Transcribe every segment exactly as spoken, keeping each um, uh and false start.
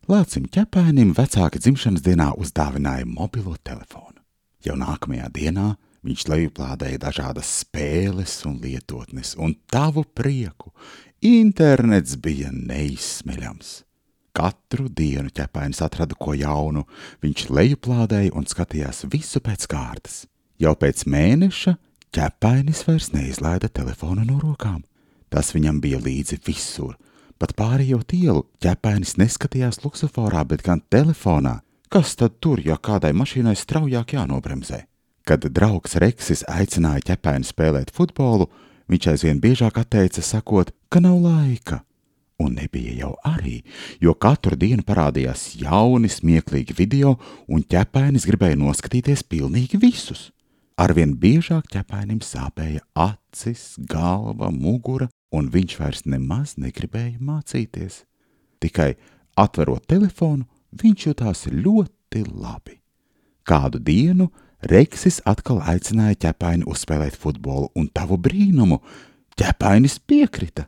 Lācim ķepainim vecāki dzimšanas dienā uzdāvināja mobilo telefonu. Jau nākamajā dienā viņš lejuplādēja dažādas spēles un lietotnes, un tavu prieku internets bija neizsmeļams. Katru dienu ķepainis atrada ko jaunu, viņš lejuplādēja un skatījās visu pēc kārtas. Jau pēc mēneša ķepainis vairs neizlaida telefonu no rokām. Tas viņam bija līdzi visur. Pat pārējot ielu ķepainis neskatījās luksuforā, bet gan telefonā. Kas tad tur, ja kādai mašīnai straujāk jānobremzē? Kad draugs Reksis aicināja ķepaini spēlēt futbolu, viņš aizvien biežāk atteica, sakot, ka nav laika. Un nebija jau arī, jo katru dienu parādījās jauni smieklīgi video, un ķepainis gribēja noskatīties pilnīgi visus. Arvien biežāk ķepainim sāpēja acis, galva, mugura, un viņš vairs nemaz negribēja mācīties. Tikai atverot telefonu, viņš jutās ļoti labi. Kādu dienu Reksis atkal aicināja ķepaini uzspēlēt futbolu, un tavu brīnumu ķepainis piekrita.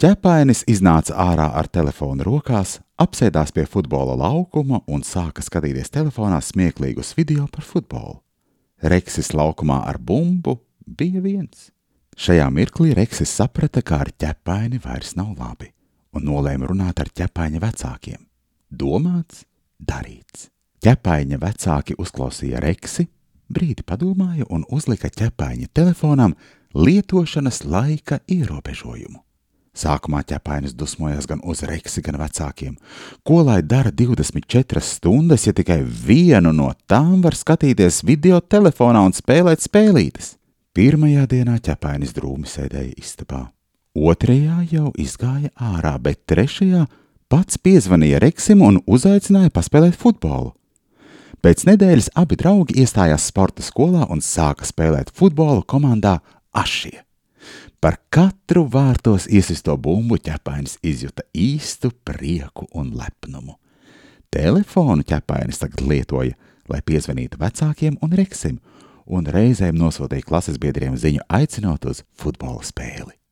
Ķepainis iznāca ārā ar telefonu rokās, apsēdās pie futbola laukuma un sāka skatīties telefonā smieklīgus video par futbolu. Reksis laukumā ar bumbu bija viens. Šajā mirklī Reksis saprata, ka ar ķepaini vairs nav labi, un nolēma runāt ar ķepaiņa vecākiem. Domāts, darīts. Ķepaiņa vecāki uzklausīja Reksi, brīdi padomāja un uzlika ķepaiņa telefonam lietošanas laika ierobežojumu. Sākumā ķepainis dusmojās gan uz Reksi, gan vecākiem. Ko lai dara divdesmit četras stundas, ja tikai vienu no tām var skatīties video telefonā un spēlēt spēlītes? Pirmajā dienā ķepainis drūmi sēdēja istabā. Otrajā jau izgāja ārā, bet trešajā pats piezvanīja Reksim un uzaicināja paspēlēt futbolu. Pēc nedēļas abi draugi iestājās sporta skolā un sāka spēlēt futbolu komandā Ašie. Par katru vārtos iesisto bumbu ķepainis izjuta īstu prieku un lepnumu. Telefonu ķepainis tagad lietoja, lai piezvanītu vecākiem un Reksim, un reizēm nosūtīja klases biedriem ziņu aicinot uz futbola spēli.